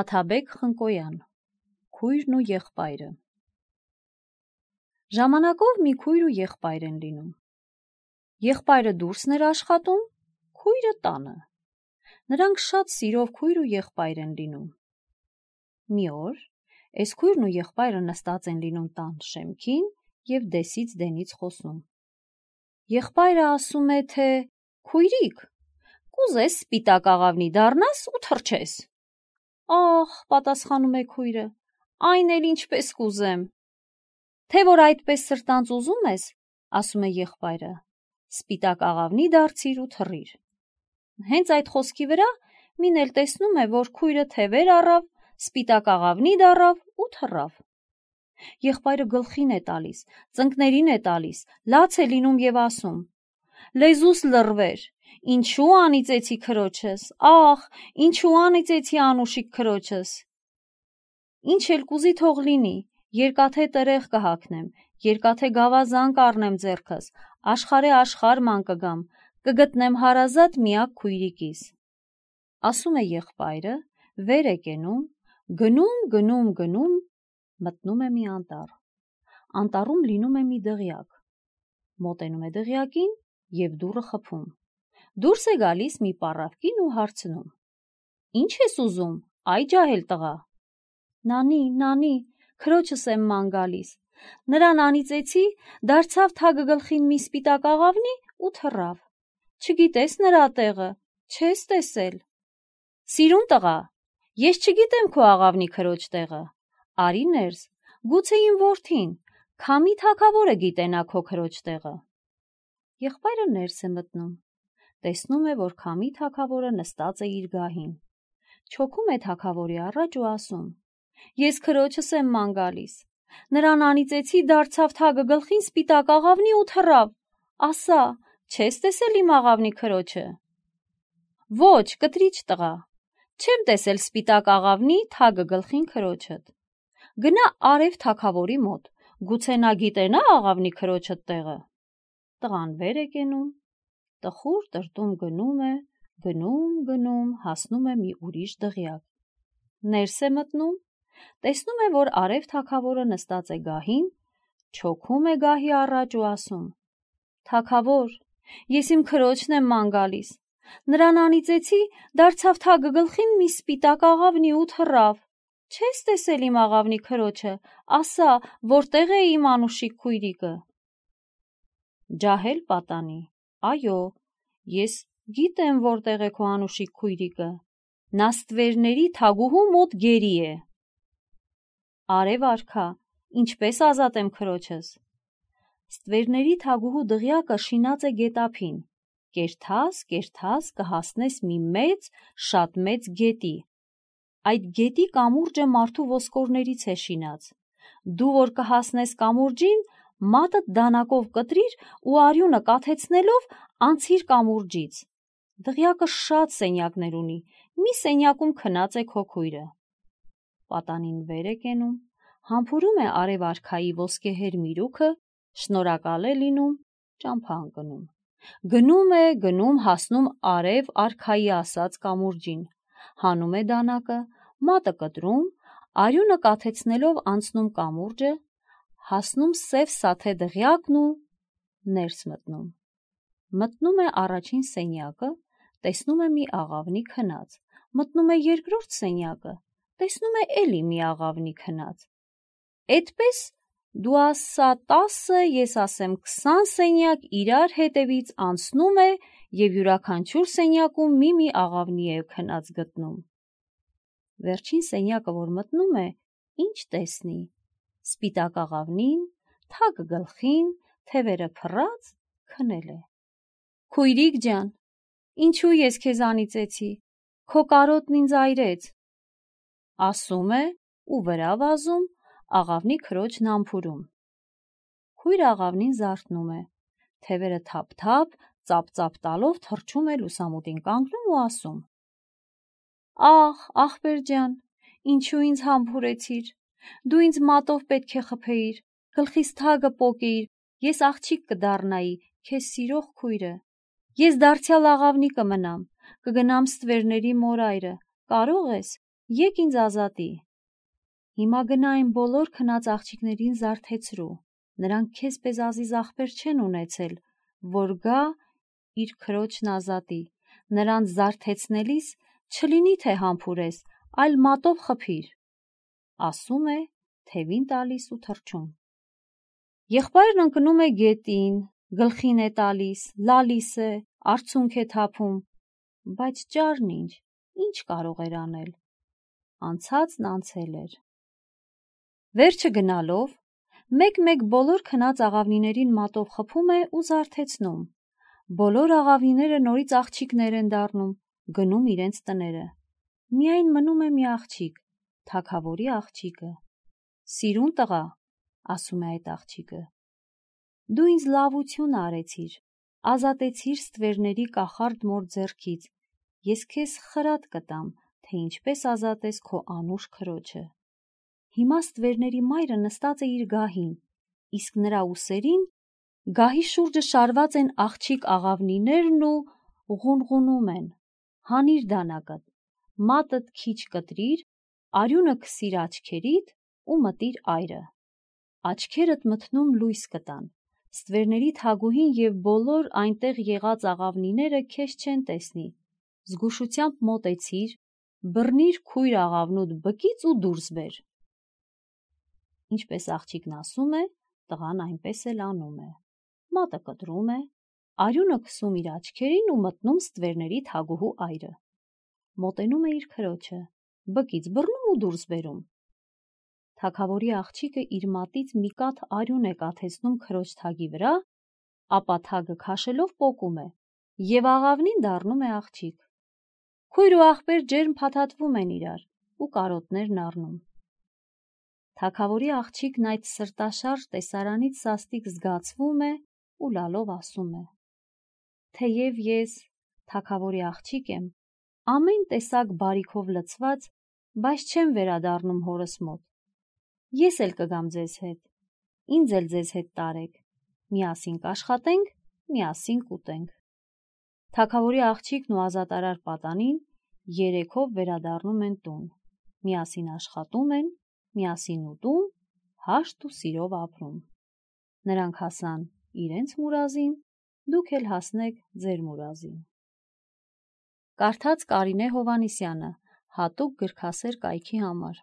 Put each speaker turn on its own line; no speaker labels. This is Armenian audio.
Աթաբեկ Խնկոյան, քույրն ու եղբայրը։ Ժամանակով մի քույր ու եղբայր են լինում։ Եղբայրը դուրսն էր աշխատում, քույրը տանը։ Նրանք շատ սիրով քույր ու եղբայր են լինում։ Մի օր այս քույրն ու եղբայրը նստած են լինում տան շեմքին և դեսից դենից խոսում։ Եղբայրը ասում է, թե քույրիկ, կուզես սպիտակ աղավնի դառնաս ու թռչես։ Ախ, պատասխանում է քույրը, այն էլ ինչպես կուզեմ։ Թե որ այդպես սրտանց ուզում ես, ասում է եղբայրը, սպիտակ աղավնի դարձիր ու թռիր։ Հենց այդ խոսքի վրա մին էլ տեսնում է, որ քույրը թևեր առավ, սպիտակ աղավնի դառավ ու թռավ։ Եղբայրը գլխին է տալիս, ծնկներին է տալիս, լաց է լինում և ասում. լեզուս լռվեր, ինչու անիծեցի քրոջս, ախ, ինչու անիծեցի անուշիկ քրոջս։ Ինչ էլ կուզի թող լինի, երկաթե տերեղ կհագնեմ, երկաթե գավազան կառնեմ ձեռքս, աշխարհե աշխարհ ման կգամ, կգտնեմ հարազատ միակ քույրիկիս։ Ասում է եղբայրը, վեր է կենում, գնում, մտնում է մի անտառ։ Անտառում լինում է մի դղյակ։ Մոտենում է դղյակին և դուռը խփում։ Դուրս է գալիս մի պառավ կին ու հարցնում. Ինչ ես ուզում, այ ջահել տղա։ Նանի, քրոջս եմ ման գալիս։ Նրան անիծեցի, դարձավ թագը գլխին մի սպիտակ աղավնի ու թռավ։ Չգիտես նրա տեղը, չես տեսել։ Սիրուն տղա, ես չգիտեմ քո աղավնի քրոջ տեղը։ Արի ներս, գուցե իմ որդին, քամի թագավորը գիտենա քո քրոջ տեղը։ Եղբայրը ներս է մտնում, տեսնում է, որ քամի թագավորը նստած է իր գահին։ Չոքում է թագավորի առաջ ու ասում. ես քրոջս եմ ման գալիս։ Նրան անիծեցի, դարձավ թագը գլխին սպիտակ աղավնի ու թռավ։ Ասա, չես տեսել իմ աղավնի քրոջը։ Ոչ, կտրիչ տղա, չեմ տեսել սպիտակ աղավնի թագը գլխին քրոջդ։ Գնա արև թագավորի մոտ, գուցե նա գիտենա աղավնի քրոջդ տեղը։ Տղան վեր է կենում, տխուր տրտում գնում, հասնում է մի ուրիշ դղյակ։ Ներս է մտնում, տեսնում է, որ արև թագավորը նստած է գահին, չոքում է գահի առաջ ու ասում. թագավոր, ես իմ քրոջն եմ ման գալիս։ Նրան անիծեցի, դարձավ թագը գլխին մի սպիտակ աղավնի ու թռավ։ Չես տեսել իմ աղավնի քրոջը, ասա, որտեղ է իմ անուշիկ քույրիկը։ Ջահել պատանի, այո, ես գիտեմ որտեղ է քո անուշիկ քույրիկը, նա ստվերների թագուհու մոտ գերի է։ Արև արքա, ինչպես ազատեմ քրոջս։ Ստվերների թագուհու դղյակը շինած է գետափին, կերթաս կհասնես մի շատ մեծ գետի։ Այդ գետի կամուրջը մարդու ոսկորներից է շինած։ Դու որ կհասնես կամուրջին, մատդ դանակով կտրիր ու արյունը կաթեցնելով անցիր կամուրջից։ Դղյակը շատ սենյակներ ունի, մի սենյակում քնած է քո քույրը։ Պատանին վեր է կենում, համբուրում է արև արքայի ոսկեհեր միրուքը, շնորհակալ է լինում, ճամփա ընկնում։ Գնում, հասնում արև արքայի ասած կամուրջին, հանում է դանակը, մատը կտրում, արյունը կաթեցնելով անցնում կամուրջը, հասնում սև սաթե դղյակն ու ներս մտնում։ Մտնում է առաջին սենյակը, տեսնում է մի աղավնի քնած, մտնում է երկրորդ սենյակը, տեսնում է էլի մի աղավնի քնած։ Էդպես դու ասա 10, ես ասեմ 20 սենյակ իրար հետևից անցնում է և յուրաքանչյուր սենյակում մի աղավնի է քնած գտնում։ Վերջին սենյակը, որ մտնում է, ինչ տեսնի, սպիտակ աղավնին, թագը գլխին, թևերը փռած, քնել է։ Քույրիկ ջան, ինչու ես քեզ անիծեցի, քո կարոտն ինձ այրեց։ Ասում է ու վրա վազում, աղավնի քրոջն համբուրում։ Քույրը աղավնին զարթնում է, թևերը թափ-թափ, ծափ-ծափ տալով թռչում է լուսամուտին կանգնում ու ասում. Ախ, ախպեր ջան, ինչու ինձ համբուրեցիր, դու ինձ մատով պետք է խփեիր, գլխիս թագը պոկեիր, ես աղջիկ կդառնայի, քեզ սիրող քույրը։ Ես դարձյալ աղավնի կմնամ, կգնամ ստվերների մորայրը, կարող ես, Եկ ինձ ազատի։ Հիմա գնա այն բոլոր քնած աղջիկներին զարթեցրու, նրանք քեզ պես ազիզ աղբեր չեն ունեցել, որ գա իր քրոջն ազատի, նրանց զարթեցնելիս չլինի թե համբուրես, այլ մատով խփիր, ասում է, թևին տալիս ու թռչում։ Եղբայրն ընկնում է գետին, գլխին է տալիս, լալիս է, արցունք է թափում, բայց ճարն ինչ կարող էր անել։ Անցածն անցել էր։ Վերջը գնալով, մեկ-մեկ բոլոր քնած աղավնիներին մատով խփում է ու զարթեցնում։ Բոլոր աղավնիները նորից աղջիկներ են դառնում, գնում իրենց տները։ Միայն մնում է մի աղջիկ, թագավորի աղջիկը։ Սիրուն տղա, ասում է այդ աղջիկը, դու ինձ լավություն արեցիր, ազատեցիր ստվերների կախարդ մոր ձեռքից, ես քեզ խրատ կտամ, թե ինչպես ազատես քո անուշ քրոջը։ Հիմա ստվերների մայրը նստած է իր գահին, իսկ նրա ուսերին գահի շուրջը շարված են աղջիկ աղավնիներն ու ղունղունում են։ Հանիր դանակդ, մատդ քիչ կտրիր, արյունը քսիր աչքերիդ ու մտիր այրը։ Աչքերդ մթնում լույս կտան, ստվերների թագուհին և բոլոր այնտեղ եղած աղավնիները քեզ չեն տեսնի։ Զգուշությամբ մոտեցիր, բռնիր քույր աղավնուդ բկից ու դուրս բեր։ Ինչպես աղջիկն ասում է, տղան այնպես էլ անում է։ Մատը կտրում է, արյունը քսում իր աչքերին ու մտնում ստվերների թագուհու այրը։ Մոտենում է իր քրոջը, բկից բռնում ու դուրս բերում։ Թագավորի աղջիկը իր մատից մի կաթ արյուն է կաթեցնում քրոջ թագի վրա, ապա թագը քաշելով պոկում է, և աղավնին դառնում է աղջիկ։ Քույր ու աղբեր ջերմ փաթաթվում են իրար ու կարոտներն առնում։ Թագավորի աղջիկն այդ սրտաշարժ տեսարանից սաստիկ զգացվում է ու լալով ասում է. Թեև ես թագավորի աղջիկ եմ, ամեն տեսակ բարիքով լցված, բայց չեմ վերադառնում հորս մոտ։ Ես էլ կգամ ձեզ հետ, ինձ էլ ձեզ հետ տարեք, միասին կաշխատենք, միասին կուտենք։ Թագավորի աղջիկն ու ազատարար պատանին երեքով վերադառնում են տուն, միասին աշխատում են, միասին ուտում, հաշտ ու սիրով ապրում։ Նրանք հասան իրենց մուրազին, դուք էլ հասնեք ձեր մուրազին։ Կարդաց Կարինե Հովհաննիսյանը, հատուկ գրքասեր կայքի համար։